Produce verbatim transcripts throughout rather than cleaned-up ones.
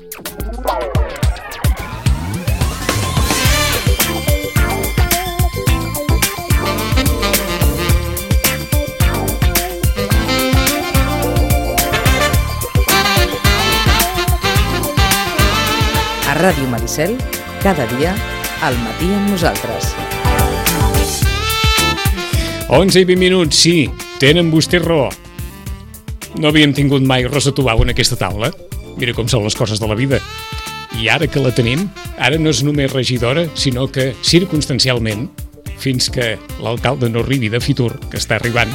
A Ràdio Maricel, cada dia, al matí amb nosaltres. onze i vint minuts, sí, tenen vostè raó. No havíem tingut mai Rosa Tubau en aquesta taula. Mira com són les coses de la vida. I ara que la tenim, ara no és només regidora, sinó que circumstancialment, fins que l'alcalde no arribi de Fitur, que està arribant,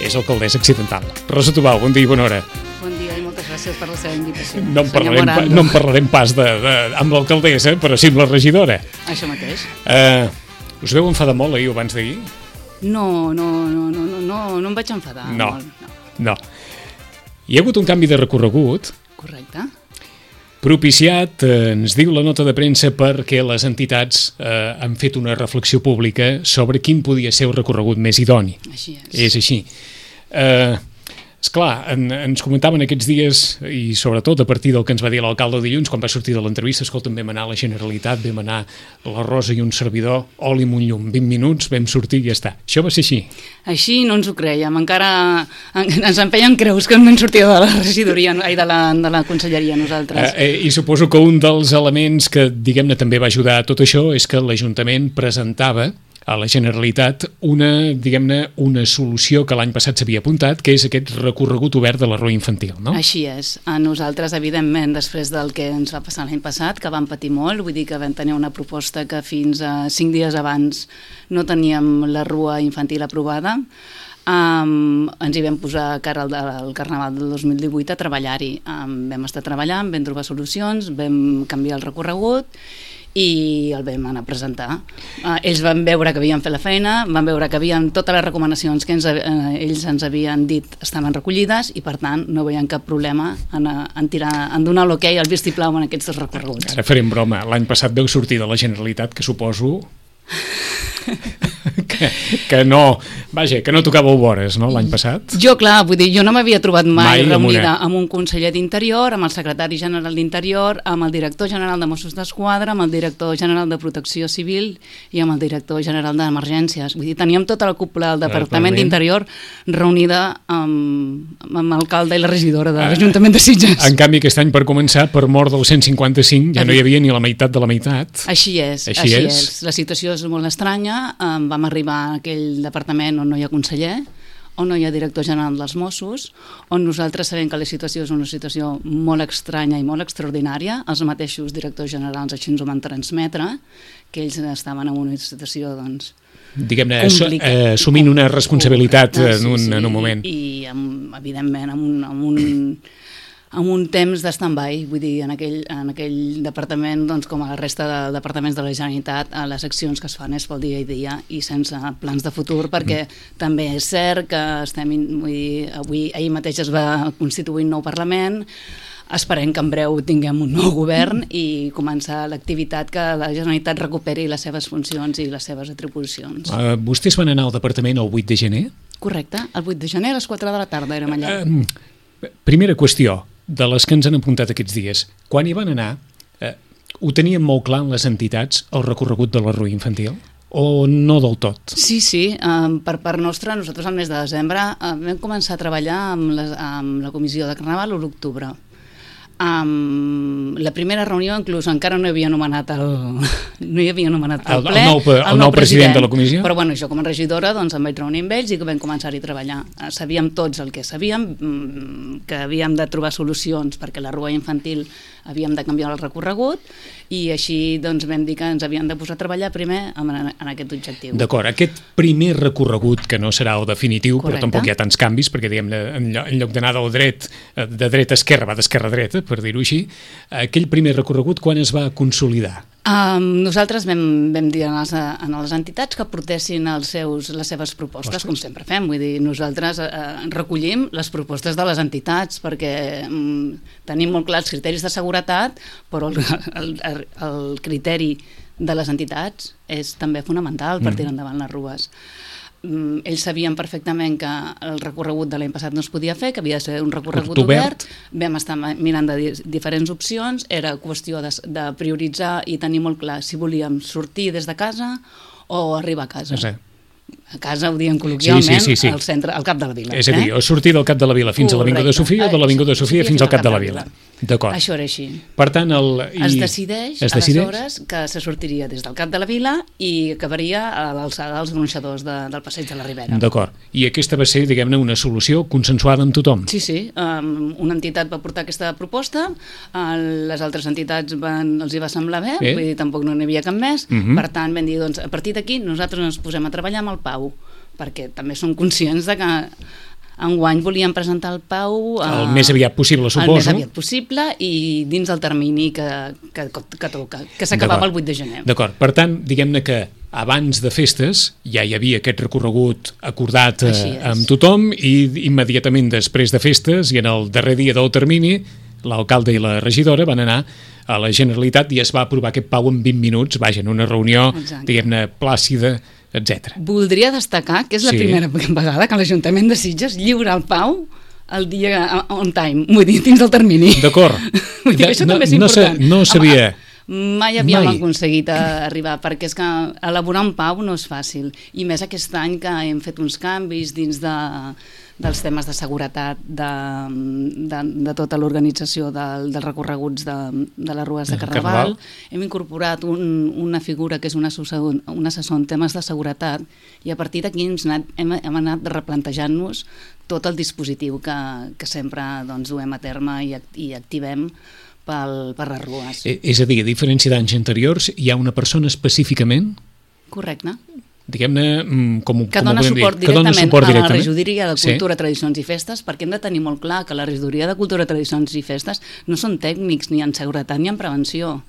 és alcaldessa accidental. Rosa Tubau, bon dia i bona hora. Bon dia i moltes gràcies per la seva invitació. No en parlarem, pa, no en parlarem pas de, de, amb l'alcaldessa, però sí amb la regidora. Això mateix. Uh, us veu enfadar molt ahir o abans d'ahir? No, no, no, no, no, no, no em vaig enfadar. No, molt, no. no. Hi ha hagut un canvi de recorregut. Correcte. Propiciat, eh, ens diu la nota de premsa, perquè les entitats eh, han fet una reflexió pública sobre quin podia ser el recorregut més idoni. Així és. És així. Eh, esclar, en, ens comentaven aquests dies, i sobretot a partir del que ens va dir l'alcalde dilluns, quan va sortir de l'entrevista, escolta'm, vam anar a la Generalitat, vam anar la Rosa i un servidor, oli amb un llum, vint minuts, vam sortir i ja està. Això va ser així. Així no ens ho creiem, encara ens empenyen creus que no ens sortia de la regidoria, ai, de la, de la conselleria nosaltres. Eh, eh, I suposo que un dels elements que, diguem-ne, també va ajudar a tot això és que l'Ajuntament presentava a la Generalitat una, diguem-ne, una solució que l'any passat s'havia apuntat, que és aquest recorregut obert de la Rua Infantil, no? Així és. A nosaltres, evidentment, després del que ens va passar l'any passat, que vam patir molt, vull dir que vam tenir una proposta que fins a cinc dies abans no teníem la Rua Infantil aprovada, Um, ens hi vam posar cara al, al Carnaval del dos mil divuit a treballar-hi. Um, vam estar treballant, vam trobar solucions, vam canviar el recorregut i el vam anar a presentar. Uh, ells van veure que havíem fet la feina, van veure que havien totes les recomanacions que ens, uh, ells ens havien dit estaven recollides i per tant no veien cap problema en, en, tirar, en donar l'ok, el vistiplau en aquests recorreguts. Ara farem broma, l'any passat veu sortir de la Generalitat, que suposo que, que no, vaja, que no tocàveu vores, no, l'any passat? Jo, clar, vull dir, jo no m'havia trobat mai, mai reunida amb, amb un conseller d'Interior, amb el secretari general d'Interior, amb el director general de Mossos d'Esquadra, amb el director general de Protecció Civil i amb el director general d'Emergències. Vull dir, teníem tota la cúpula del Departament d'Interior reunida amb, amb l'alcalde i la regidora de l'Ajuntament de Sitges. En canvi, aquest any, per començar, per mort del cent cinquanta-cinc, ja no hi havia ni la meitat de la meitat. Així és, així, així és. és. La situació és molt estranya. Um, vam arribar a aquell departament on no hi ha conseller, on no hi ha director general dels Mossos, on nosaltres sabem que la situació és una situació molt estranya i molt extraordinària. Els mateixos directors generals així ens ho van transmetre, que ells estaven en una situació, doncs, diguem-ne, eh, assumint una responsabilitat en un, sí, sí, en un moment. I, i amb, evidentment, amb un... Amb un amb un temps d'stand-by, vull dir, en aquell, en aquell departament, doncs, com a la resta de departaments de la Generalitat, les accions que es fan és pel dia a dia i sense plans de futur, perquè mm. també és cert que estem, vull dir, avui, ahir mateix es va constituir un nou Parlament, esperem que en breu tinguem un nou govern i començar l'activitat que la Generalitat recuperi les seves funcions i les seves atribucions. Uh, vostès van anar al departament el vuit de gener? Correcte, el vuit de gener a les quatre de la tarda érem allà. Uh, primera qüestió, de les que ens han apuntat aquests dies. Quan hi van anar, eh, ho tenien molt clar en les entitats, el recorregut de la Rua Infantil? O no del tot? Sí, sí. Um, per part nostra, nosaltres al mes de desembre uh, vam començar a treballar amb, les, amb la comissió de Carnaval a l'octubre. Um, la primera reunió inclús encara no hi havia anomenat el, no hi havia anomenat el, el ple, el nou, el el nou president, president de la comissió, però bueno, jo com a regidora doncs em vaig reunir amb ells i que vam començar-hi a treballar. Sabíem tots el que sabíem, que havíem de trobar solucions perquè la Rua Infantil havíem de canviar el recorregut i així doncs vam dir que ens havíem de posar a treballar primer en, en aquest objectiu. D'acord, aquest primer recorregut, que no serà el definitiu, correcte, però tampoc hi ha tants canvis, perquè diguem, en lloc d'anar del dret, de dreta a esquerra, va d'esquerra a dreta, per dir-ho així, aquell primer recorregut quan es va consolidar? Um, nosaltres vam, vam dir a les, a les entitats que portessin els seus, les seves propostes, Ostres. com sempre fem. Vull dir, nosaltres eh, recollim les propostes de les entitats perquè um, tenim molt clars els criteris de seguretat, però el, el, el, el criteri de les entitats és també fonamental per tirar endavant les rues. ells sabien perfectament que el recorregut de l'any passat no es podia fer, que havia de ser un recorregut obert. obert. Vam estar mirant de di- diferents opcions, era qüestió de, de prioritzar i tenir molt clar si volíem sortir des de casa o arribar a casa. No sé. A casa ho diem col·loquialment, Sí, sí, sí, sí. al centre, al cap de la vila. És a dir, eh? o sortir del cap de la vila fins a l'Avinguda Correcte. Sofia o de l'Avinguda Sofia fins al cap de la vila. D'acord. Això era així. Per tant, el... I... Es decideix, es decideix? aleshores, que se sortiria des del cap de la vila i acabaria a l'alçada dels gronxadors de, del passeig de la Ribera. D'acord. I aquesta va ser, diguem-ne, una solució consensuada amb tothom. Sí, sí. Um, una entitat va portar aquesta proposta, uh, les altres entitats van, els hi va semblar bé, Bé. vull dir, tampoc no n'hi havia cap més. Mhm. Per tant, vam dir, doncs, a partir d'aquí nosaltres ens posem a treballar amb el Pau, perquè també som conscients de que enguany volíem presentar el Pau uh, El més aviat possible, el suposo. més aviat possible i dins del termini que, que, que toca, que s'acabava D'acord. el vuit de gener. D'acord. Per tant, diguem-ne que abans de festes ja hi havia aquest recorregut acordat eh, Així és. amb tothom i immediatament després de festes i en el darrer dia del termini l'alcalde i la regidora van anar a la Generalitat i es va aprovar aquest Pau en vint minuts, vaja, en una reunió, Exacte. diguem-ne, plàcida, etcètera. Voldria destacar que és la Sí. primera vegada que l'Ajuntament de Sitges lliura el Pau el dia on time, vull dir, dins del termini. D'acord. Vull dir que això No- també és no sa- important. no sabia. Home, mai havíem Mai. aconseguit a arribar, perquè és que elaborar un Pau no és fàcil, i més aquest any que hem fet uns canvis dins de, dels temes de seguretat de, de, de tota l'organització del, dels recorreguts de, de les rues de De Carnaval. Carnaval. Hem incorporat un, una figura que és un assessor, un assessor en temes de seguretat i a partir d'aquí hem, anat, hem, hem anat replantejant-nos tot el dispositiu que, que sempre doncs, duem a terme i, act- i activem pel, per les rues. Eh, És a dir, a diferència d'anys anteriors, hi ha una persona específicament, Correcte. diguem-ne, mm, com, Que com ho dona podem suport dir, que dona directament suport a la directament. regidoria de Sí. Cultura, Tradicions i Festes, perquè hem de tenir molt clar que la regidoria de Cultura, Tradicions i Festes no són tècnics ni en seguretat ni en prevenció.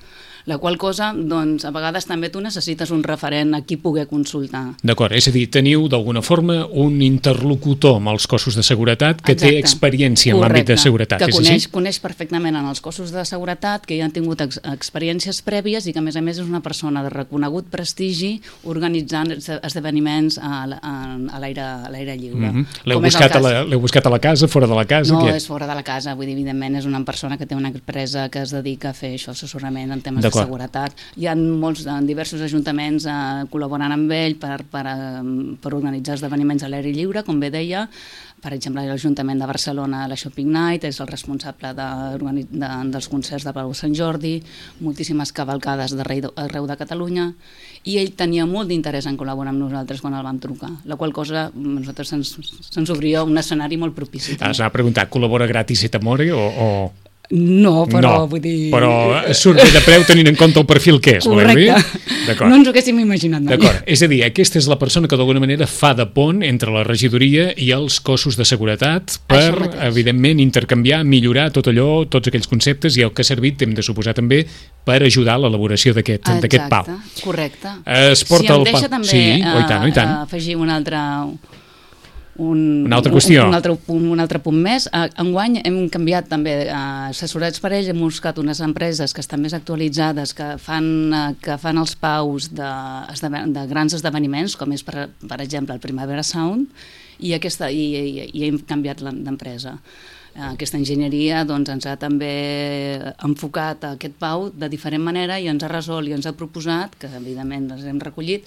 La qual cosa, doncs, a vegades també tu necessites un referent a qui poder consultar. D'acord, és a dir, teniu d'alguna forma un interlocutor amb els cossos de seguretat que té Exacte. experiència en l'àmbit de Correcte. seguretat, que és coneix, així? coneix perfectament en els cossos de seguretat, que ja han tingut ex experiències prèvies i que a més a més és una persona de reconegut prestigi organitzant esde- esdeveniments a, l- a, a l'aire a l'aire lliure. Mhm. L'heu Com és el buscat, a cas. la- l'heu buscat a la casa, fora de la casa? No, què? és fora de la casa, vull dir, evidentment és una persona que té una empresa que es dedica a fer això, assessorament en temes de D'acord. seguretat. Hi ha molts, en diversos ajuntaments eh, col·laborant amb ell per, per, eh, per organitzar esdeveniments a l'aire lliure, com bé deia. Per exemple, l'Ajuntament de Barcelona, la Shopping Night, és el responsable de, de, dels concerts de Palau Sant Jordi, moltíssimes cavalcades d'arreu arreu de Catalunya, i ell tenia molt d'interès en col·laborar amb nosaltres quan el vam trucar, la qual cosa a nosaltres se'ns se'ns obria un escenari molt propici. Has anat a preguntar, col·labora gratis et amore o... o... No, però no, vull dir... però surt bé de preu tenint en compte el perfil que és, voleu dir? Correcte. D'acord. No ens ho haguéssim imaginat mai. D'acord, és a dir, aquesta és la persona que d'alguna manera fa de pont entre la regidoria i els cossos de seguretat per, Això mateix. evidentment, intercanviar, millorar tot allò, tots aquells conceptes i el que ha servit, hem de suposar també, per ajudar a l'elaboració d'aquest d'aquest Pau. Exacte, correcte. Es porta si em el deixa Pau. també Sí, oh, i tant, oh, i tant. eh, afegir un altre... Un, Una altra qüestió. Un, un, altre punt, un altre punt més. Eh, enguany hem canviat també, eh, assessorats per ells, hem buscat unes empreses que estan més actualitzades, que fan, eh, que fan els paus de, de grans esdeveniments, com és, per, per exemple, el Primavera Sound, i, aquesta, i, i, i hem canviat d'empresa. Aquesta enginyeria doncs, ens ha també enfocat a aquest Pau de diferent manera i ens ha resolt i ens ha proposat, que evidentment les hem recollit,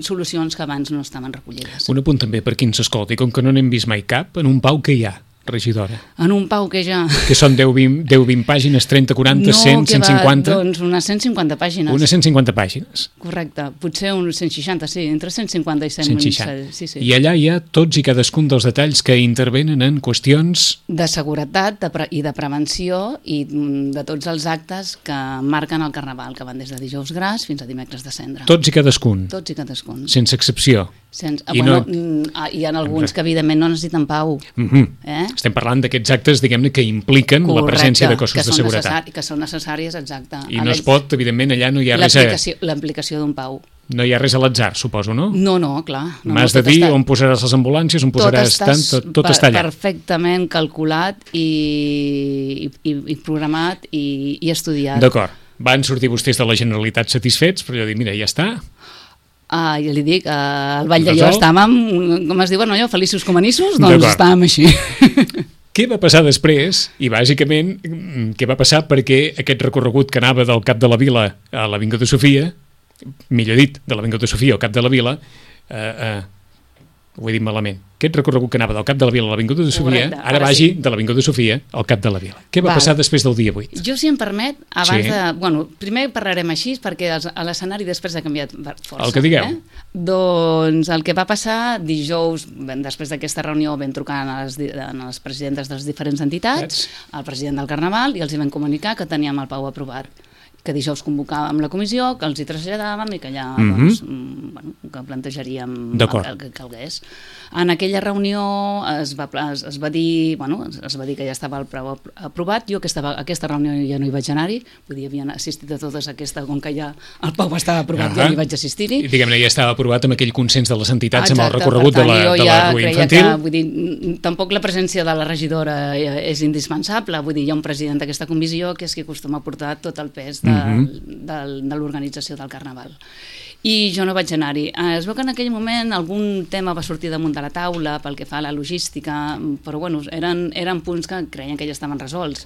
solucions que abans no estaven recollides. Un apunt també per qui ens escolti, com que no n'hem vist mai cap, en un Pau que hi ha, regidora? En un Pau que ja... Que són deu vint pàgines, trenta, quaranta, cent, cent cinquanta? No, que va, doncs unes cent cinquanta pàgines. Unes cent cinquanta pàgines. Correcte, potser uns cent seixanta, sí, entre cent cinquanta i cent. cent seixanta. Sí, sí. I allà hi ha tots i cadascun dels detalls que intervenen en qüestions... De seguretat de pre i de prevenció i de tots els actes que marquen el Carnaval, que van des de dijous gras fins a dimecres de cendra. Tots i cadascun, Tots i cadascun. sense excepció. Sense, I bueno, no- no... Hi ha alguns que evidentment no necessiten Pau. Mhm. Eh? Estem parlant d'aquests actes, diguem-ne, que impliquen la presència de cossos que de són seguretat. necessari- Que són necessàries, exacte. I no es pot, evidentment, allà no hi ha res a... L'aplicació l'aplicació d'un Pau. No hi ha res a l'atzar, suposo, no? No, no, clar. No, M'has no, de tot dir està- on posaràs les ambulàncies, on tot posaràs està tant, tot, tot per- està allà. perfectament calculat i, i, i programat i, i estudiat. D'acord. Van sortir vostès de la Generalitat satisfets, però jo dic, mira, ja està. Uh, ja li dic, uh, al Vall d'Allò estàvem, com es diuen allò, feliços com anissos, doncs estàvem així. Què va passar després? I bàsicament, què va passar perquè aquest recorregut que anava del Cap de la Vila a l'Avinguda Sofia, millor dit, de l'Avinguda Sofia al Cap de la Vila, eh, eh, ho he dit malament, aquest recorregut que anava del Cap de la Vila a l'Avinguda Sofia, Correcte, ara vagi sí. de l'Avinguda Sofia al Cap de la Vila. Què va Val. passar després del dia vuit? Jo, si em permet, abans sí. de... Bueno, primer parlarem així, perquè l'escenari després ha canviat força. El que digueu. Eh? Doncs el que va passar dijous, després d'aquesta reunió, vam trucar a les, a les presidentes de les diferents entitats, al president del Carnaval, i els hi vam comunicar que teníem el P A U aprovat, que dijous convocàvem la comissió, que els hi traslladàvem i que allà mm-hmm. doncs, bueno, que plantejaríem el que calgués. En aquella reunió es va, es, es va dir bueno, es va dir que ja estava el preu aprovat. Jo aquesta, aquesta reunió ja no hi vaig anar-hi, vull dir, havien assistit a totes aquesta, com que ja el P A U estava aprovat, uh-huh. ja hi vaig assistir-hi. I diguem-ne, ja estava aprovat amb aquell consens de les entitats. Exacte, amb el recorregut tant, de la, de la ja rua infantil. Que, vull dir, tampoc la presència de la regidora és indispensable, vull dir, hi ha un president d'aquesta comissió que és qui acostuma a portar tot el pes de, mm-hmm. de, de l'organització del Carnaval. I jo no vaig anar-hi. Es veu que en aquell moment algun tema va sortir damunt de la taula pel que fa a la logística, però bueno, eren, eren punts que creien que ja estaven resolts.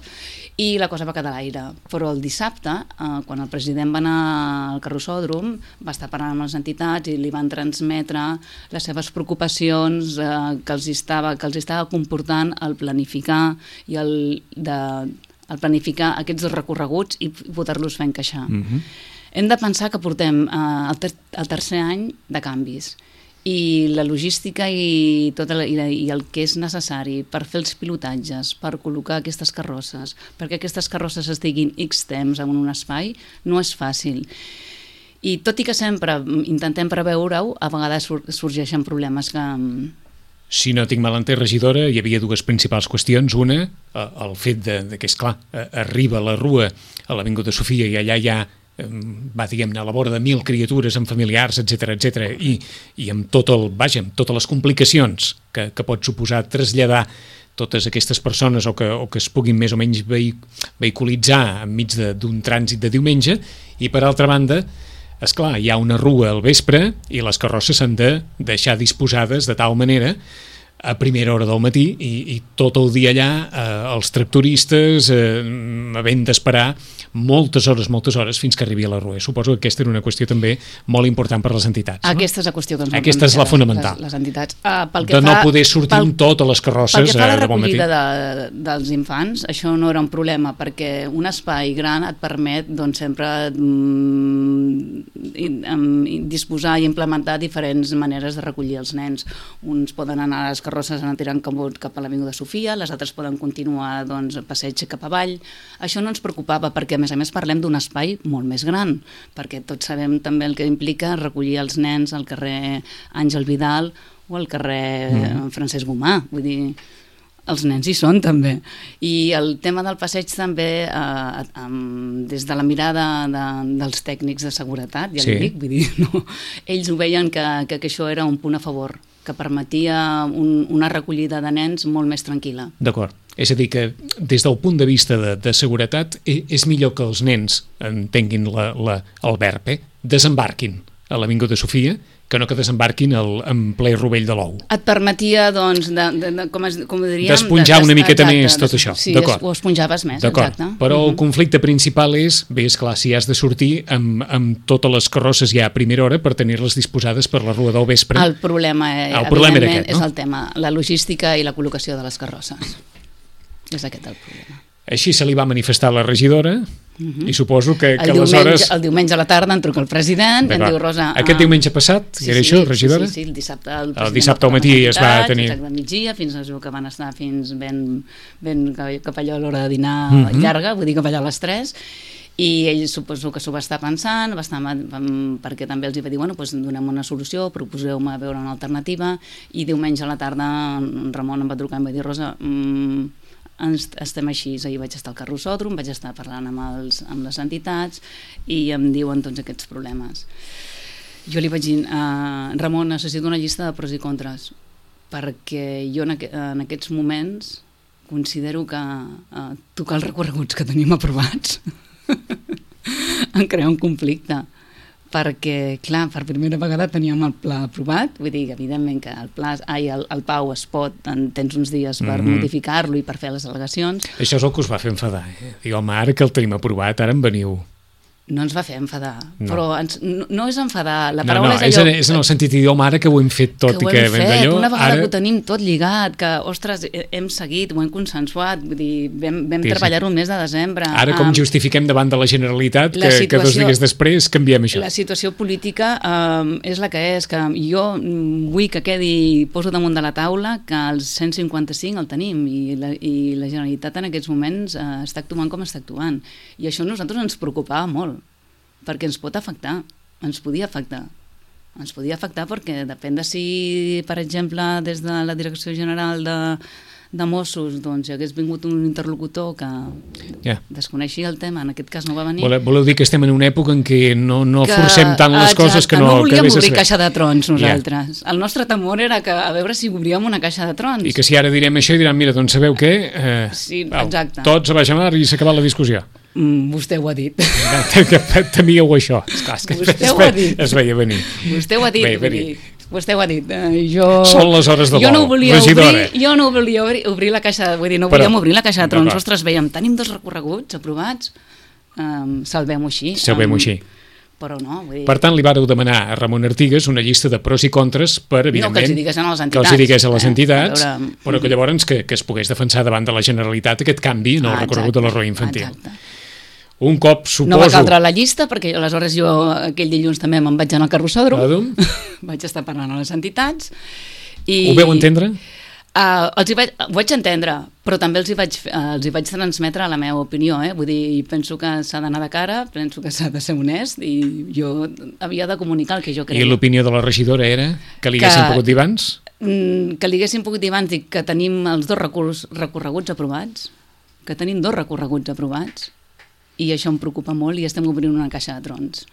I la cosa va quedar a l'aire. Però el dissabte, eh, quan el president va anar al carrossòdrom, va estar parlant amb les entitats i li van transmetre les seves preocupacions eh, que, els estava, que els estava comportant el planificar i el, de, el planificar aquests recorreguts i poder-los fer encaixar. Mm-hmm. Hem de pensar que portem eh, el, ter el tercer any de canvis i la logística i, tota la, i, la, i el que és necessari per fer els pilotatges, per col·locar aquestes carrosses, perquè aquestes carrosses estiguin X temps en un espai, no és fàcil. I tot i que sempre intentem preveure-ho, a vegades sur sorgeixen problemes que... Si no tinc mal entès, regidora, hi havia dues principals qüestions. Una, el fet de, de que, esclar, arriba la rua a l'Avinguda Sofia i allà hi ha va, diguem-ne, a la vora de mil criatures amb familiars, etcètera, etcètera, i, i amb tot el, vaja, amb totes les complicacions que, que pot suposar traslladar totes aquestes persones o que, o que es puguin més o menys vehiculitzar enmig d'un trànsit de diumenge, i per altra banda, esclar, hi ha una rua al vespre i les carrosses s'han de deixar disposades de tal manera a primera hora del matí i, i tot el dia allà eh, els tractoristes eh, havent d'esperar moltes hores, moltes hores fins que arribi a la rua. Suposo que aquesta era una qüestió també molt important per a les entitats. No? Aquesta és la qüestió que ens Aquesta és la fonamental. Les, les entitats. Uh, pel que de fa, no poder sortir pel, amb totes les carrosses pel que fa a la de bon matí. recollida de, dels infants, això no era un problema, perquè un espai gran et permet doncs, sempre mm, disposar i implementar diferents maneres de recollir els nens. Uns poden anar a les carrosses anar tirant cap a l'Avinguda Sofia, les altres poden continuar doncs, a passeig cap avall. Això no ens preocupava perquè, a més a més, parlem d'un espai molt més gran, perquè tots sabem també el que implica recollir els nens al carrer Àngel Vidal o al carrer mm. Francesc Gomà. Vull dir, els nens hi són també. I el tema del passeig també, eh, eh, des de la mirada de, dels tècnics de seguretat, ja sí. li dic, vull dir, no? Ells ho veien que, que, que això era un punt a favor, que permetia un, una recollida de nens molt més tranquil·la. D'acord. És a dir, que des del punt de vista de, de seguretat és millor que els nens entenguin la, la, el verb, eh? Desembarquin a l'Avinguda Sofia que no que desembarquin el, en ple rovell de l'ou. Et permetia, doncs, de, de, de, com, es, com diríem... D'esponjar una miqueta exacte, més tot això. Sí, ho esponjaves més, exacte. Però el conflicte principal és, bé, esclar, si has de sortir amb, amb totes les carrosses ja a primera hora per tenir-les disposades per la rua del vespre. El problema, el problema era aquest, no? És el tema, la logística i la col·locació de les carrosses. És aquest el problema. Així se li va manifestar la regidora uh-huh. i suposo que, que el diumenge, aleshores... El diumenge a la tarda en truca el president, em diu Rosa... Aquest diumenge passat, sí, era sí, això, regidora? Sí, sí, el dissabte el, el dissabte al matí es va tenir... Exacte, al migdia, fins a que van estar fins ben, ben cap allò a l'hora de dinar uh-huh. llarga, vull dir cap allà a les tres, i ell suposo que s'ho va estar pensant, va estar, perquè també els hi va dir, bueno, doncs donem una solució, proposeu-me veure una alternativa, i diumenge a la tarda en Ramon em va trucar i em va dir, Rosa, mmm, Ens, estem així, ahir vaig estar al carrossòdrom, vaig estar parlant amb, els, amb les entitats i em diuen tots aquests problemes. Jo li vaig dir, uh, Ramon, necessito una llista de pros i contres, perquè jo en, aqu en aquests moments considero que uh, tocar els recorreguts que tenim aprovats em crea un conflicte, perquè, clar, per primera vegada teníem el pla aprovat, vull dir que evidentment que el pla, ai, el, el Pau es pot, en, tens uns dies per mm-hmm. modificar-lo i per fer les al·legacions. Això és el que us va fer enfadar, eh? Diu, home, ara que el tenim aprovat, ara en veniu. No ens va fer enfadar, no. però ens, no, no és enfadar, la no, paraula no, és allò... És en el sentit d'idioma, ara que ho hem fet tot que i que hem fet, d'allò, una vegada ara... que ho tenim tot lligat, que, ostres, hem seguit, ho hem consensuat, vull dir, vam, vam sí, treballar-ho el mes de desembre. Ara com um, justifiquem davant de la Generalitat la que, situació, que dos dies després canviem això? La situació política um, és la que és, que jo vull que quedi, poso damunt de la taula, que el cent cinquanta-cinc el tenim i la, i la Generalitat en aquests moments uh, està actuant com està actuant. I això a nosaltres ens preocupava molt, perquè ens pot afectar, ens podia afectar. Ens podia afectar perquè depèn de si, per exemple, des de la Direcció General de, de Mossos doncs, hi hagués vingut un interlocutor que yeah. desconeixia el tema, en aquest cas no va venir. Voleu, voleu dir que estem en una època en què no, no que, forcem tant les exacte, coses que no... no volíem que obrir caixa de trons nosaltres. Yeah. El nostre temor era que a veure si obríem una caixa de trons. I que si ara direm això i diran, mira, doncs sabeu què? Eh, sí, au, exacte. Tots a baix a mar i s'ha acabat la discussió. Mm, vostè ho ha dit. Temíeu això. Esclar, és que vostè es, ho ha dit. Es veia venir. Vostè ho ha dit. Veia venir. Vostè ho ha dit. Uh, jo... Són les hores de jo vol, no volia regidora. obrir, jo no volia obrir, obrir la caixa, vull dir, no volíem Però, obrir la caixa de trons. Ostres, veiem, tenim dos recorreguts aprovats, um, salvem-ho així. Salvem-ho um, així. Però no, vull dir... Per tant, li vàreu demanar a Ramon Artigas una llista de pros i contres per, evidentment... No, que els hi digués a les entitats. Que els hi digués a les entitats, eh? a veure... però que llavors que, que es pogués defensar davant de la Generalitat aquest canvi en el ah, recorregut de l'error infantil. Exacte. Un cop, suposo... No va caldre la llista, perquè aleshores jo aquell dilluns també me'n vaig anar al carrossòdrom, vaig estar parlant a les entitats. I... Ho veu entendre? Uh, els hi vaig, ho vaig entendre, però també els hi vaig, uh, els hi vaig transmetre la meva opinió, eh? Vull dir, penso que s'ha d'anar de cara, penso que s'ha de ser honest, i jo havia de comunicar el que jo creia. I l'opinió de la regidora era que li haguessin pogut dir abans? Mm, que li haguessin pogut dir abans, dic que tenim els dos recurs, recorreguts aprovats, que tenim dos recorreguts aprovats, i això em preocupa molt i estem obrint una caixa de trons.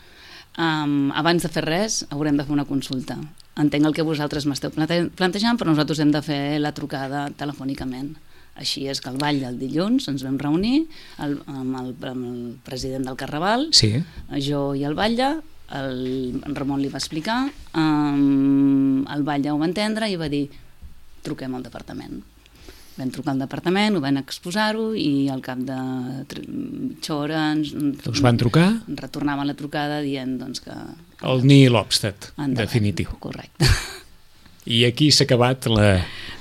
Um, abans de fer res haurem de fer una consulta. Entenc el que vosaltres m'esteu plante plantejant, però nosaltres hem de fer la trucada telefònicament. Així és que el ball del dilluns ens vam reunir el, amb, el, amb el president del Carnaval, sí. jo i el batlle, el, en Ramon li va explicar, um, el batlle ho va entendre i va dir truquem al departament. Vam trucar al departament, ho van exposar-ho i al cap de mitja hora ens, us van trucar? Retornaven la trucada dient doncs, que... El nihil obstat, definitiu. Correcte. I aquí s'ha acabat la,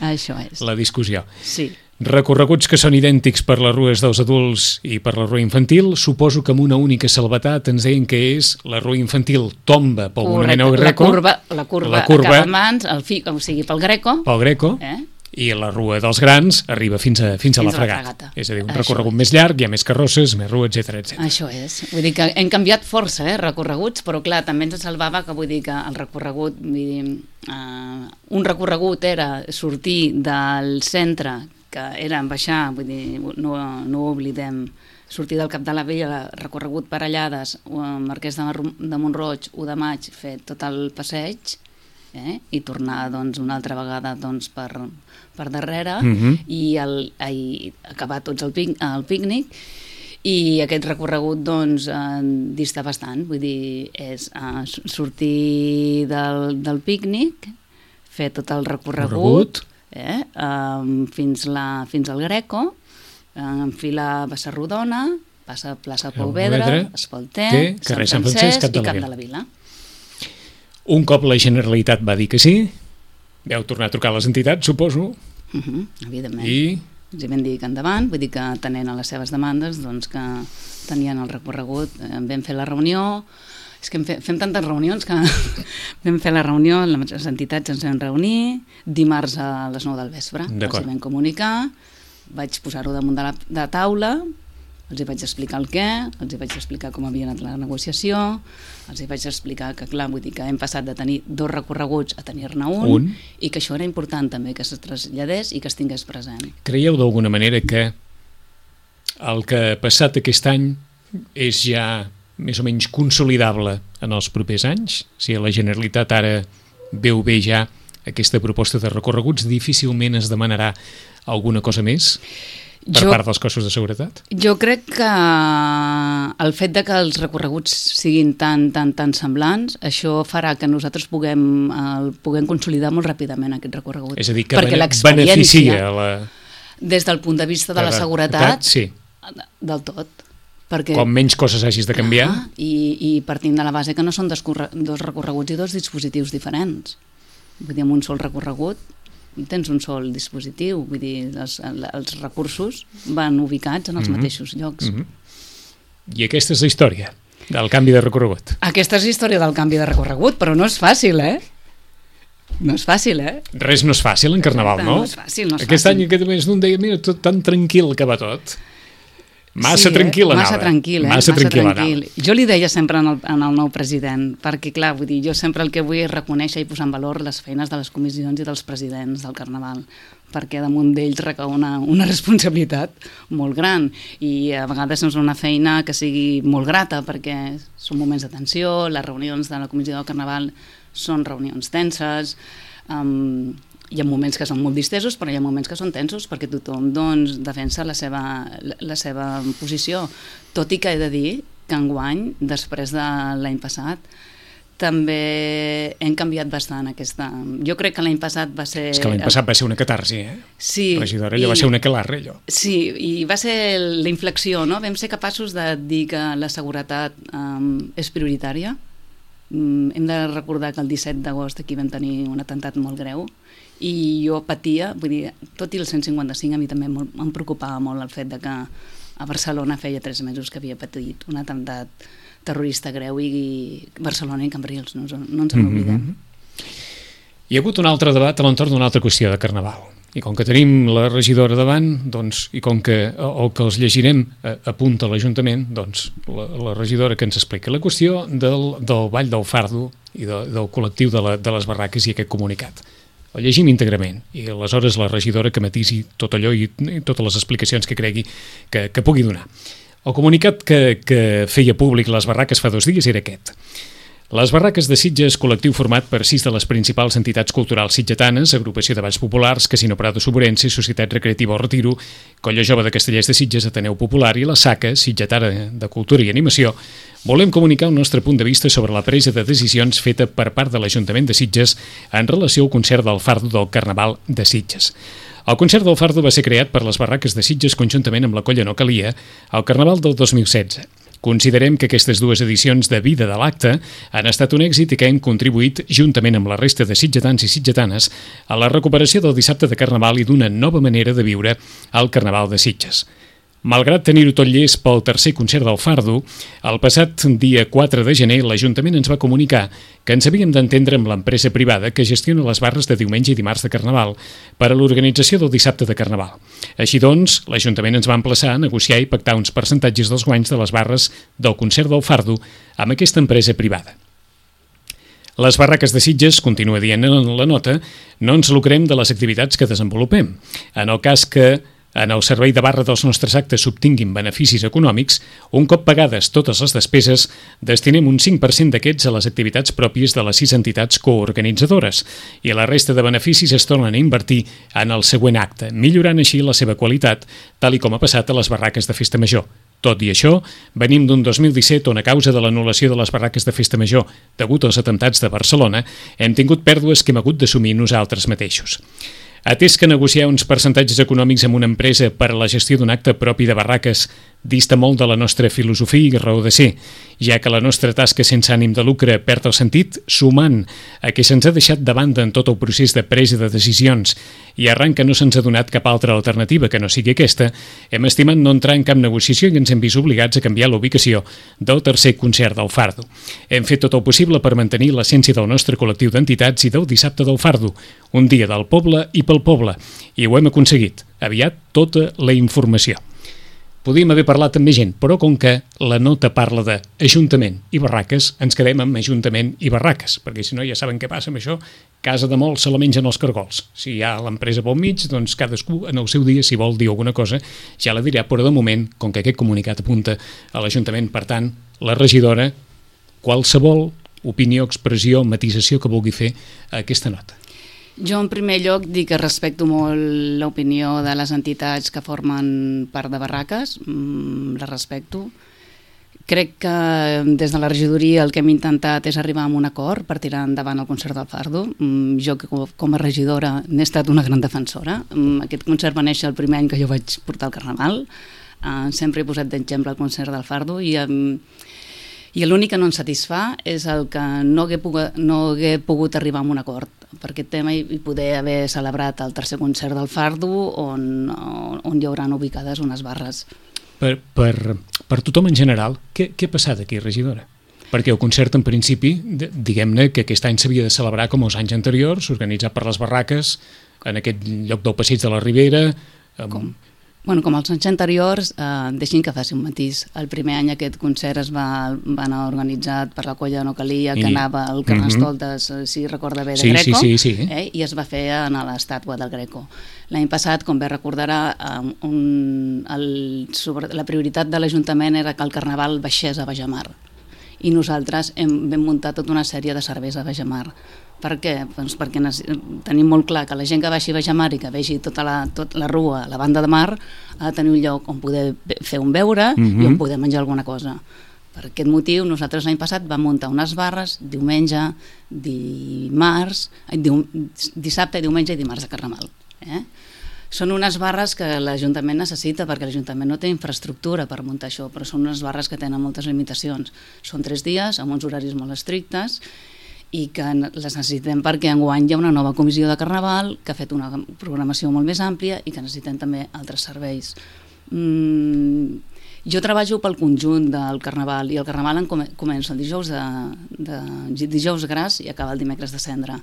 Això és. la discussió. Sí. Recorreguts que són idèntics per les rues dels adults i per la rua infantil, suposo que amb una única salvetat ens deien que és la rua infantil tomba pel monument al Greco. La curva, la curva, la curva acaba en mans, el fi, o sigui, pel Greco. Pel Greco. Eh? I la rua dels grans arriba fins a, fins a, fins la, fregata. la fregata. És a dir, un Això recorregut és. més llarg, hi ha més carrosses, més rua, etcètera, etcètera. Això és. Vull dir que hem canviat força, eh, recorreguts, però clar, també ens salvava que vull dir que el recorregut, vull dir, uh, un recorregut era sortir del centre, que era baixar, vull dir, no, no ho oblidem, sortir del Cap de la Vella, recorregut per Allades, Marquès de, de Montroig, u de maig, fer tot el passeig, eh, i tornar doncs, una altra vegada doncs, per... per darrere uh-huh. i, el, i acabar tots el, pic, el pícnic i aquest recorregut doncs eh, dista bastant, vull dir és eh, sortir del, del pícnic, fer tot el recorregut eh, eh, fins, la, fins al Greco, eh, enfilar Bassa Rodona, passa plaça Pau Vedra, Espalter, Sant Francesc i Cap de la Vila. Un cop la Generalitat va dir que sí, vau tornar a trucar a les entitats, suposo. Uh-huh, evidentment. I? Ens hi vam dir que endavant, vull dir que atenent a les seves demandes, doncs que tenien el recorregut, en vam fer la reunió, és que fem, fem tantes reunions que vam fer la reunió, les entitats ens vam reunir, dimarts a les nou del vespre, els hi vam comunicar, vaig posar-ho damunt de la de taula, els hi vaig explicar el què, els hi vaig explicar com havia anat la negociació, els hi vaig explicar que, clar, vull dir que hem passat de tenir dos recorreguts a tenir-ne un, un, i que això era important també, que es traslladés i que es tingués present. Creieu d'alguna manera que el que ha passat aquest any és ja més o menys consolidable en els propers anys? Si la Generalitat ara veu bé ja aquesta proposta de recorreguts, difícilment es demanarà alguna cosa més? per jo, part dels cossos de seguretat? Jo crec que el fet de que els recorreguts siguin tan, tan, tan semblants, això farà que nosaltres puguem, el, puguem consolidar molt ràpidament aquest recorregut. És a dir, que perquè beneficia la... Des del punt de vista de la seguretat, sí. del tot. Perquè, com menys coses hagis de canviar. Ah, i, I partint de la base que no són dos, dos recorreguts i dos dispositius diferents. Vull dir, amb un sol recorregut tens un sol dispositiu, vull dir, els, els recursos van ubicats en els mm-hmm. mateixos llocs. Mm-hmm. I aquesta és la història del canvi de recorregut. Aquesta és la història del canvi de recorregut, però no és fàcil, eh? No és fàcil, eh? Res no és fàcil en Carnaval, no? No és fàcil, no és Aquest fàcil. any, aquest mes, d'un deia, mira, tot tan tranquil que va tot. Massa sí, tranquil eh? anava. Massa tranquil, eh? Massa, Massa tranquil, tranquil. Jo li deia sempre en el, en el nou president, perquè clar, vull dir, jo sempre el que vull és reconèixer i posar en valor les feines de les comissions i dels presidents del Carnaval, perquè damunt d'ells recau una, una responsabilitat molt gran i a vegades és una feina que sigui molt grata perquè són moments de tensió, les reunions de la comissió del Carnaval són reunions tenses, um, hi ha moments que són molt distesos, però hi ha moments que són tensos perquè tothom doncs, defensa la seva, la seva posició. Tot i que he de dir que enguany, després de l'any passat, també hem canviat bastant aquesta... Jo crec que l'any passat va ser... És que l'any passat va ser una catarsi, eh? Sí. Regidora, allò i... va ser una aquelarre, allò. Sí, i va ser la inflexió, no? Vam ser capaços de dir que la seguretat um, és prioritària. Um, hem de recordar que el disset d'agost aquí vam tenir un atemptat molt greu i jo patia, vull dir, tot i el cent cinquanta-cinc a mi també molt, em preocupava molt el fet de que a Barcelona feia tres mesos que havia patit un atemptat terrorista greu i Barcelona i Cambrils, no, no ens en oblidem. Mm-hmm. Hi ha hagut un altre debat a l'entorn d'una altra qüestió de Carnaval i com que tenim la regidora davant doncs, i com que el que els llegirem a, a punt a l'Ajuntament, doncs la, la regidora que ens explica la qüestió del, del Ball del Fardo i de, del col·lectiu de, la, de les barraques i aquest comunicat. El llegim íntegrament i aleshores la regidora que matisi tot allò i, i totes les explicacions que cregui que, que pugui donar. El comunicat que, que feia públic les barraques fa dos dies era aquest. Les barraques de Sitges, col·lectiu format per sis de les principals entitats culturals sitgetanes, Agrupació de Balls Populars, Casino Prado Soborense, Societat Recreativa El Retiro, Colla Jove de Castellers de Sitges, Ateneu Popular i la SACA, Sitgetana de Cultura i Animació, volem comunicar el nostre punt de vista sobre la presa de decisions feta per part de l'Ajuntament de Sitges en relació al concert del Fardo del Carnaval de Sitges. El concert del Fardo va ser creat per les barraques de Sitges conjuntament amb la Colla No Calia al Carnaval del dos mil setze. Considerem que aquestes dues edicions de vida de l'acte han estat un èxit i que hem contribuït, juntament amb la resta de sitgetans i sitgetanes, a la recuperació del dissabte de Carnaval i d'una nova manera de viure el Carnaval de Sitges. Malgrat tenir-ho tot llest pel tercer concert del Fardo, el passat dia quatre de gener l'Ajuntament ens va comunicar que ens havíem d'entendre amb l'empresa privada que gestiona les barres de diumenge i dimarts de Carnaval per a l'organització del dissabte de Carnaval. Així doncs, l'Ajuntament ens va emplaçar a negociar i pactar uns percentatges dels guanys de les barres del concert del Fardo amb aquesta empresa privada. Les barraques de Sitges, continua dient en la nota, no ens lucrem de les activitats que desenvolupem. En el cas que en el servei de barra dels nostres actes s'obtinguin beneficis econòmics, un cop pagades totes les despeses, destinem un cinc per cent d'aquests a les activitats pròpies de les sis entitats coorganitzadores i la resta de beneficis es tornen a invertir en el següent acte, millorant així la seva qualitat, tal i com ha passat a les barraques de Festa Major. Tot i això, venim d'un dos mil disset on a causa de l'anul·lació de les barraques de Festa Major degut als atemptats de Barcelona, hem tingut pèrdues que hem hagut d'assumir nosaltres mateixos. Atès que negociar uns percentatges econòmics amb una empresa per a la gestió d'un acte propi de barraques dista molt de la nostra filosofia i raó de ser, ja que la nostra tasca sense ànim de lucre perd el sentit, sumant a que se'ns ha deixat de banda en tot el procés de presa de decisions i arran que no se'ns ha donat cap altra alternativa que no sigui aquesta, hem estimat no entrar en cap negociació i ens hem vist obligats a canviar la ubicació del tercer concert del Fardo. Hem fet tot el possible per mantenir l'essència del nostre col·lectiu d'entitats i del dissabte del Fardo, un dia del poble i pel poble, i ho hem aconseguit. Aviat tota la informació. Podíem haver parlat amb més gent, però com que la nota parla d'Ajuntament i barraques, ens quedem amb Ajuntament i barraques, perquè si no ja saben què passa amb això, casa de molts se la mengen els cargols. Si hi ha l'empresa pel mig, doncs cadascú en el seu dia, si vol dir alguna cosa, ja la dirà, però de moment, com que aquest comunicat apunta a l'Ajuntament, per tant, la regidora, qualsevol opinió, expressió, matisació que vulgui fer a aquesta nota. Jo, en primer lloc, dic que respecto molt l'opinió de les entitats que formen part de barraques, mm, la respecto. Crec que des de la regidoria el que hem intentat és arribar a un acord per tirar endavant el concert del Fardo. Mm, jo, que com a regidora, n'he estat una gran defensora. Mm, aquest concert va néixer el primer any que jo vaig portar el Carnaval. Uh, sempre he posat d'exemple el concert del Fardo i... Um, I l'únic que no ens satisfà és el que no hagué, pogut, no hagué pogut arribar a un acord per aquest tema i, i poder haver celebrat el tercer concert del Fardo on, on hi hauran ubicades unes barres. Per, per, per tothom en general, què, què ha passat aquí, regidora? Perquè el concert, en principi, diguem-ne que aquest any s'havia de celebrar com els anys anteriors, organitzat per les barraques, en aquest lloc del Passeig de la Ribera... Amb... Com? Bueno, com els anys anteriors, eh, deixin que faci un matís. El primer any aquest concert es va, va anar organitzat per la colla No Calia, que I... anava al Carnestoltes, uh -huh. si recorda bé, de sí, Greco, sí, sí, sí. Eh, i es va fer a l'estàtua del Greco. L'any passat, com bé recordarà, eh, un, el, sobre, la prioritat de l'Ajuntament era que el Carnaval baixés a Bajamar. I nosaltres hem, vam muntar tota una sèrie de serveis a Bajamar. Per què? Doncs perquè tenim molt clar que la gent que baixi a Bajamar i que vegi tota la, tot la rua, la banda de mar, ha de tenir un lloc on poder fer un beure mm-hmm. i on poder menjar alguna cosa. Per aquest motiu, nosaltres l'any passat vam muntar unes barres diumenge, dimarts, dium, dissabte, diumenge i dimarts de Carnaval. Eh? Són unes barres que l'Ajuntament necessita perquè l'Ajuntament no té infraestructura per muntar això, però són unes barres que tenen moltes limitacions. Són tres dies, amb uns horaris molt estrictes, i que les necessitem perquè enguany hi ha una nova comissió de Carnaval que ha fet una programació molt més àmplia i que necessitem també altres serveis. Mm, jo treballo pel conjunt del Carnaval i el Carnaval en comença el dijous, de, de, dijous gras i acaba el dimecres de cendra.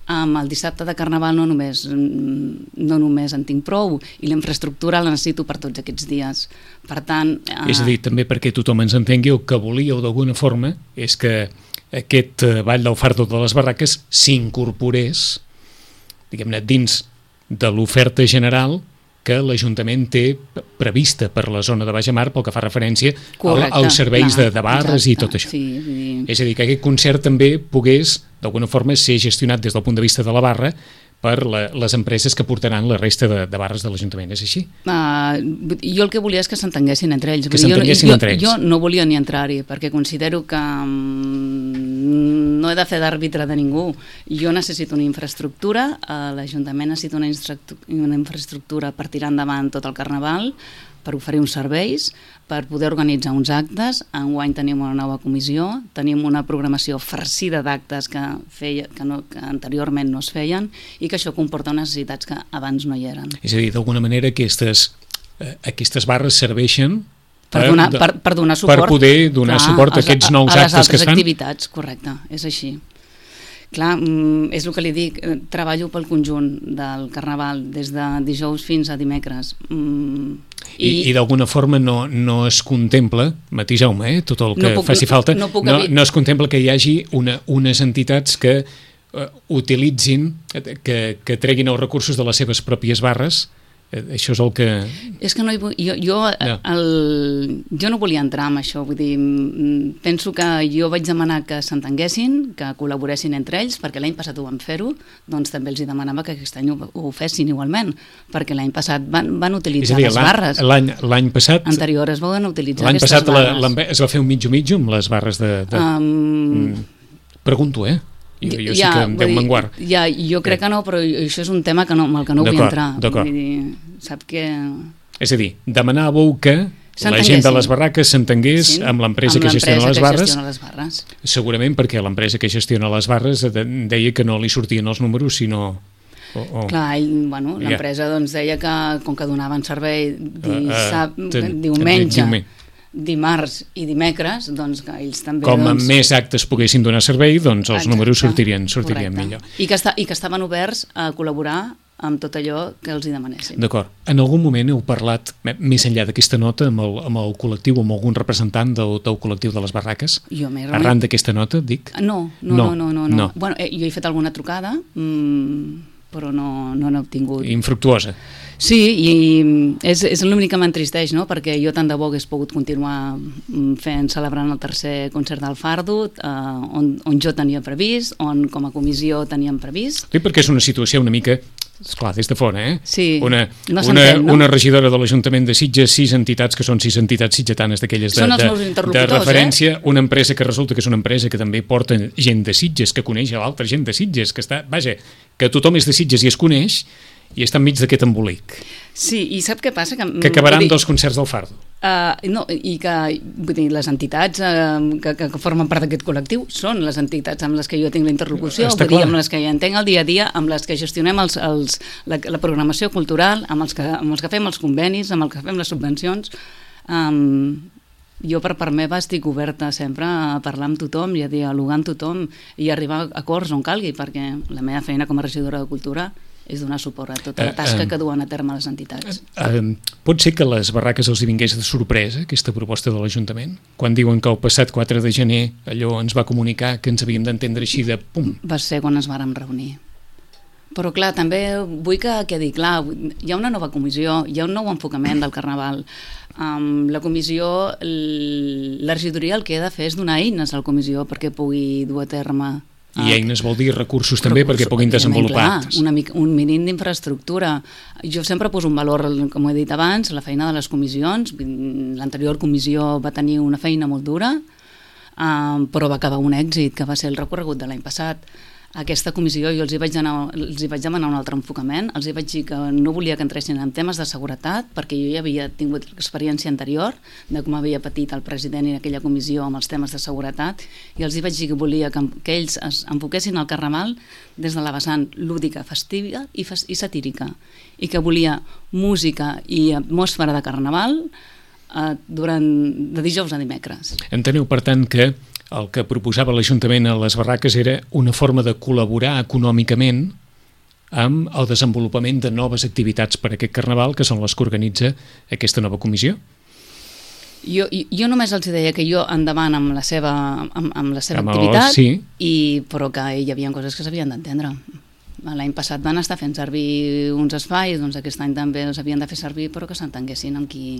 Amb el dissabte de Carnaval no només, no només en tinc prou i la infraestructura la necessito per tots aquests dies. Per tant... Eh... És a dir, també perquè tothom ens entengui, el que volíeu d'alguna forma és que aquest Ball del Fardo de les Barraques s'incorporés, diguem-ne, dins de l'oferta general que l'Ajuntament té prevista per la zona de Bajamar pel que fa referència Correcte, als serveis clar, de, de barres exacte, i tot això. Sí, sí. És a dir, que aquest concert també pogués, d'alguna forma, ser gestionat des del punt de vista de la barra per la, les empreses que portaran la resta de, de barres de l'Ajuntament, és així? Uh, jo el que volia és que s'entenguessin entre ells. Que s'entenguessin jo, entre ells. Jo no volia ni entrar-hi, perquè considero que um, no he de fer d'àrbitre de ningú. Jo necessito una infraestructura, uh, l'Ajuntament necessita una, una infraestructura per tirar endavant tot el Carnaval, per oferir uns serveis, per poder organitzar uns actes. Enguany tenim una nova comissió, tenim una programació farcida d'actes que, feia, que, no, que anteriorment no es feien i que això comporta necessitats que abans no hi eren. És a dir, d'alguna manera aquestes, eh, aquestes barres serveixen per donar, per, per donar suport, per poder donar clar, suport a aquests nous a, a actes que es fan? A les altres activitats, correcte, és així. Clar, és el que li dic, treballo pel conjunt del Carnaval, des de dijous fins a dimecres. Mm, I i, i d'alguna forma no, no es contempla, matiseu-me, eh, tot el que no puc, faci falta, no, no, no es contempla que hi hagi una, unes entitats que uh, utilitzin, que, que treguin els recursos de les seves pròpies barres. Això és el que... És que no hi vull... Jo, jo, no. El, jo no volia entrar en això, vull dir, penso que jo vaig demanar que s'entenguessin, que col·laboressin entre ells, perquè l'any passat ho van fer-ho, doncs també els demanava que aquest any ho, ho fessin igualment, perquè l'any passat van, van utilitzar dir, les barres. L'any passat... Anterior es van utilitzar aquestes barres. L'any passat la, es va fer un mitjo-mitjo amb les barres de... de... Um... Pregunto, eh? Jo, jo ja, sí que em deu menguar. Ja, jo crec que no, però això és un tema que no, amb el que no vull entrar. D'acord, d'acord. Sap que... És a dir, demanàveu que la gent de les barraques s'entengués sí, amb l'empresa que gestiona les barres, gestiona les barres. Segurament perquè l'empresa que gestiona les barres deia que no li sortien els números, sinó... Oh, oh. Clar, i bueno, l'empresa yeah. doncs deia que com que donaven servei dissab... uh, uh, ten, diumenge... diumenge. dimarts i dimecres, doncs que ells també... Com doncs, més actes poguessin donar servei, doncs els exacte, números sortirien, sortirien millor. I que, està, I que estaven oberts a col·laborar amb tot allò que els hi demanessin. D'acord. En algun moment heu parlat, més enllà d'aquesta nota, amb el, amb el col·lectiu, amb algun representant del, del col·lectiu de les barraques? Jo m'he Arran d'aquesta nota, dic? No, no, no. no, no, no. no. Bueno, eh, jo he fet alguna trucada, mmm, però no, no n'he obtingut. Infructuosa? Sí, i és, és l'únic que m'entristeix, no? Perquè jo tant de bo hagués pogut continuar fent, celebrant el tercer concert del Fardo, eh, on, on jo tenia previst, on com a comissió teníem previst. Sí, perquè és una situació una mica, esclar, des de fora, eh? Sí, una, no una, s'entén, no? Una regidora de l'Ajuntament de Sitges, sis entitats que són sis entitats sitgetanes d'aquelles de, Són els de, meus de interlocutors, referència, eh? Una empresa que resulta que és una empresa que també porta gent de Sitges, que coneix a l'altra gent de Sitges, que està, vaja, que tothom és de Sitges i es coneix, i està enmig d'aquest embolic. Sí, i sap què passa? Que, que acabaran dir, dos concerts del Fardo. Uh, no, i que vull dir, les entitats uh, que, que formen part d'aquest col·lectiu són les entitats amb les que jo tinc la interlocució, vull dir, amb les que hi entenc el dia a dia, amb les que gestionem els, els, la, la programació cultural, amb els, que, amb els que fem els convenis, amb els que fem les subvencions. Um, jo per part meva estic oberta sempre a parlar amb tothom i a dialogar amb tothom i arribar a acords on calgui, perquè la meva feina com a regidora de Cultura és donar suport a tota la tasca uh, uh, que duen a terme les entitats. Uh, uh, pot ser que les barraques els hi vingués de sorpresa, aquesta proposta de l'Ajuntament? Quan diuen que el passat quatre de gener allò ens va comunicar que ens havíem d'entendre així de pum? Va ser quan ens vàrem reunir. Però clar, també vull que quedi clar, hi ha una nova comissió, hi ha un nou enfocament del Carnaval. Um, la comissió, la regidoria el que ha de fer és donar eines a la comissió perquè pugui dur a terme. I eines vol dir recursos també recursos, perquè puguin desenvolupar. Clar, una mica, un mínim d'infraestructura. Jo sempre poso un valor, com he dit abans, la feina de les comissions. L'anterior comissió va tenir una feina molt dura, um, però va acabar un èxit, que va ser el recorregut de l'any passat. Aquesta comissió jo els hi vaig, anar, els hi vaig demanar un altre enfocament, els hi vaig dir que no volia que entressin en temes de seguretat, perquè jo ja havia tingut l'experiència anterior de com havia patit el president i aquella comissió amb els temes de seguretat, i els hi vaig dir que volia que, que ells es enfoquessin el Carnaval des de la vessant lúdica, festiva i, fes, i satírica, i que volia música i atmosfera de Carnaval eh, durant, de dijous a dimecres. Enteneu, per tant, que el que proposava l'Ajuntament a les barraques era una forma de col·laborar econòmicament amb el desenvolupament de noves activitats per a aquest Carnaval, que són les que organitza aquesta nova comissió? Jo, jo només els deia que jo endavant amb la seva, amb, amb la seva amb activitat, el, sí. i, però que hi havia coses que s'havien d'entendre. L'any passat van estar fent servir uns espais, doncs aquest any també els havien de fer servir, però que s'entenguessin amb qui...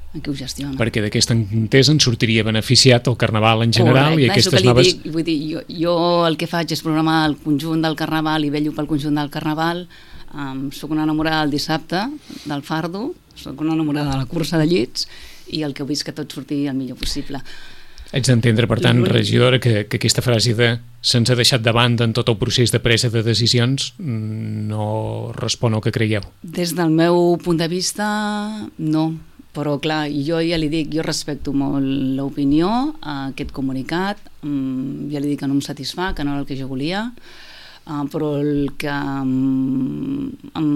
en qui ho gestiona. Perquè d'aquesta entesa en sortiria beneficiat el Carnaval en general. Correcte, i aquestes noves... Dic, vull dir, jo, jo el que faig és programar el conjunt del Carnaval i vello pel conjunt del Carnaval. Um, soc una enamorada del dissabte, del Fardo, soc una enamorada de la cursa de llits i el que vull és que tot surti el millor possible. Haig d'entendre, per tant, regidora, que, que aquesta frase de se'ns ha deixat de banda en tot el procés de presa de decisions no respon al que creieu. Des del meu punt de vista, no. Però clar, jo ja li dic, jo respecto molt l'opinió, aquest comunicat, ja li dic que no em satisfà, que no era el que jo volia, però el que em, em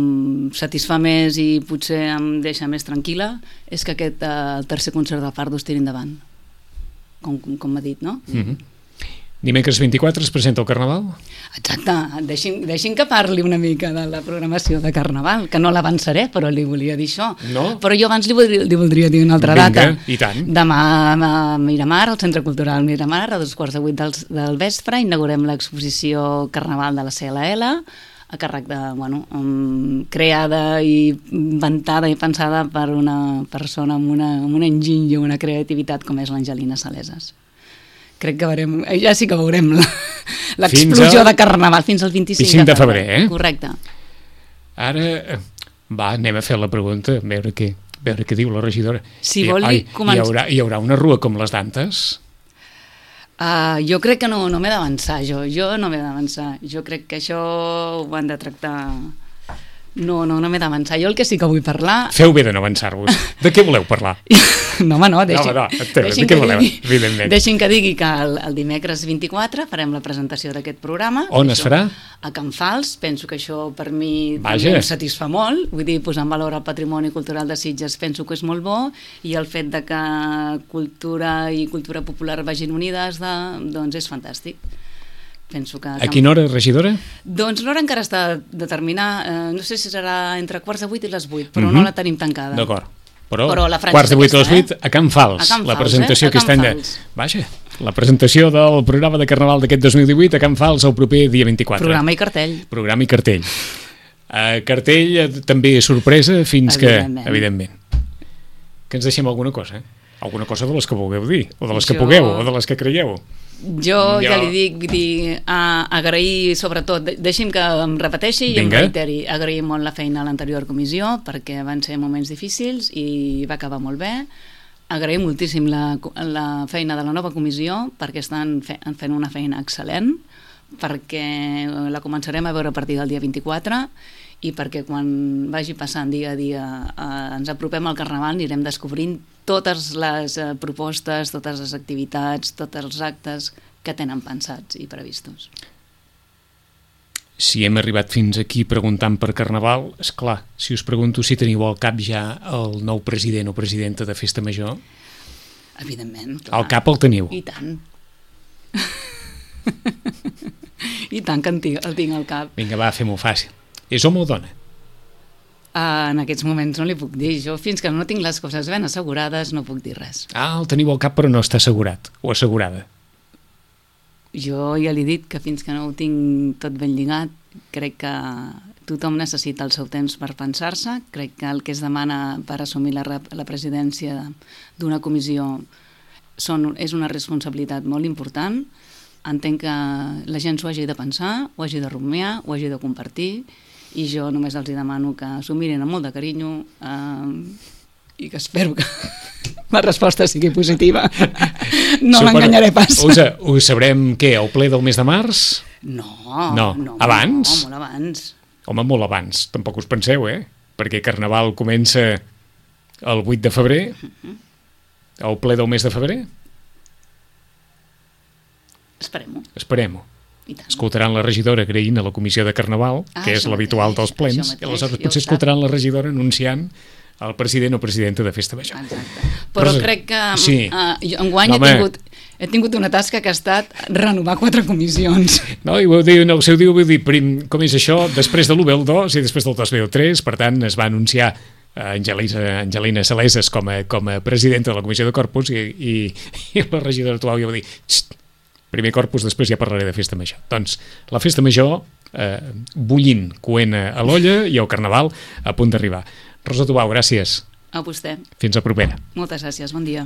satisfà més i potser em deixa més tranquil·la és que aquest el tercer concert del Fardo es tiri endavant, com, com m'ha dit, no? Mm-hmm. Dimecres vint-i-quatre es presenta el Carnaval? Exacte, deixin, deixin que parli una mica de la programació de Carnaval, que no l'avançaré, però li volia dir això. No? Però jo abans li voldria, li voldria dir una altra Vinga, data. I tant. Demà a Miramar, al Centre Cultural Miramar, a dos quarts de vuit del, del vespre, inaugurem l'exposició Carnaval de la C L L, a càrrec de, bueno, um, creada i inventada i pensada per una persona amb una, amb un enginy i una creativitat com és l'Angelina Saleses. Crec que veurem, ja sí que veurem l'explosió al... de Carnaval fins al vint-i-cinc de febrer. Eh? Correcte. Ara, va, anem a fer la pregunta, a veure què, a veure què diu la regidora. Si vol, Ai, començ... hi, haurà, hi haurà una rua com les d'antes? Uh, jo crec que no, no m'he d'avançar, jo. Jo no m'he d'avançar. Jo crec que això ho han de tractar... No, no, no m'he d'avançar. Jo el que sí que vull parlar... Feu bé de no avançar-vos. De què voleu parlar? No, home, no, deixin, no, no, deixin, de què voleu, digui, evidentment. Deixin que digui que el, el dimecres vint-i-quatre farem la presentació d'aquest programa. On es farà? A Can Fals. Penso que això per mi Vaja. també em satisfà molt. Vull dir, posar en valor el patrimoni cultural de Sitges penso que és molt bo, i el fet de que cultura i cultura popular vagin unides de, doncs és fantàstic. Penso que... A quina hora, regidora? Doncs l'hora encara està determinar, eh, no sé si serà entre quarts de vuit i les vuit, però uh-huh. no la tenim tancada. D'acord. Però, però quarts de vuit a les vuit, eh? a Can Fals. A Can Fals, la presentació eh? aquest any de... Vaja, la presentació del programa de Carnaval d'aquest dos mil divuit a Can Fals el proper dia vint-i-quatre. Programa i cartell. Programa i cartell. Uh, cartell uh, també sorpresa fins Evidentment. que, evidentment, que ens deixem alguna cosa, eh? Alguna cosa de les que vulgueu dir, o de les que Jo- pugueu, o de les que creieu. Jo, Jo- ja li dic, vull dir, a, agrair sobretot, de- deixi'm que em repeteixi i Vinga. em reiteri, agrair molt la feina a l'anterior comissió perquè van ser moments difícils i va acabar molt bé. Agrair moltíssim la, la feina de la nova comissió perquè estan fe, fent una feina excel·lent, perquè la començarem a veure a partir del dia vint-i-quatre i perquè quan vagi passant dia a dia eh, ens apropem al Carnaval anirem descobrint totes les eh, propostes, totes les activitats, tots els actes que tenen pensats i previstos. Si hem arribat fins aquí preguntant per Carnaval, és clar, si us pregunto si teniu al cap ja el nou president o presidenta de Festa Major, Evidentment, clar. al cap el teniu. I tant. I tant que en tinc, el tinc al cap. Vinga, va, fem-ho fàcil. És home o dona? Uh, en aquests moments no li puc dir. Jo, fins que no tinc les coses ben assegurades, no puc dir res. Ah, el teniu al cap però no està assegurat, o assegurada. Jo ja li he dit que fins que no ho tinc tot ben lligat, crec que tothom necessita el seu temps per pensar-se. Crec que el que es demana per assumir la, rep- la presidència d'una comissió són, és una responsabilitat molt important. Entenc que la gent s'ho hagi de pensar, ho hagi de rumiar, ho hagi de compartir, i jo només els hi demano que s'ho mirin amb molt de carinyo eh, i que espero que la resposta sigui positiva. No Supera- l'enganyaré pas. Us, ho sabrem, què, al ple del mes de març? No, No. no, Abans? No, molt abans. Home, molt abans, tampoc us penseu, eh? Perquè Carnaval comença el vuit de febrer, al ple del mes de febrer. Esperem-ho. Esperem-ho. I tant. Escoltaran la regidora agraint a la comissió de Carnaval, Ah, que és això l'habitual mateix, dels plens, això mateix, i aleshores ja ho potser sap. escoltaran la regidora anunciant el president o presidenta de Festa Major. Exacte. Però Però- crec que sí. uh, jo enguany No, he, home. tingut, he tingut una tasca que ha estat renovar quatre comissions. No, i vull dir, en el seu dia vull dir, prim, com és això, després de l'u ve el dos i després del dos ve el tres, per tant es va anunciar Angelina, Angelina Saleses com a, com a presidenta de la Comissió de Corpus i, i, i la regidora actual ja va dir "Xt, primer Corpus, després ja parlaré de Festa Major". Doncs la Festa Major eh, bullint, coent a l'olla i el Carnaval a punt d'arribar. Rosa Tubau, gràcies. A vostè. Fins a propera. Moltes gràcies. Bon dia.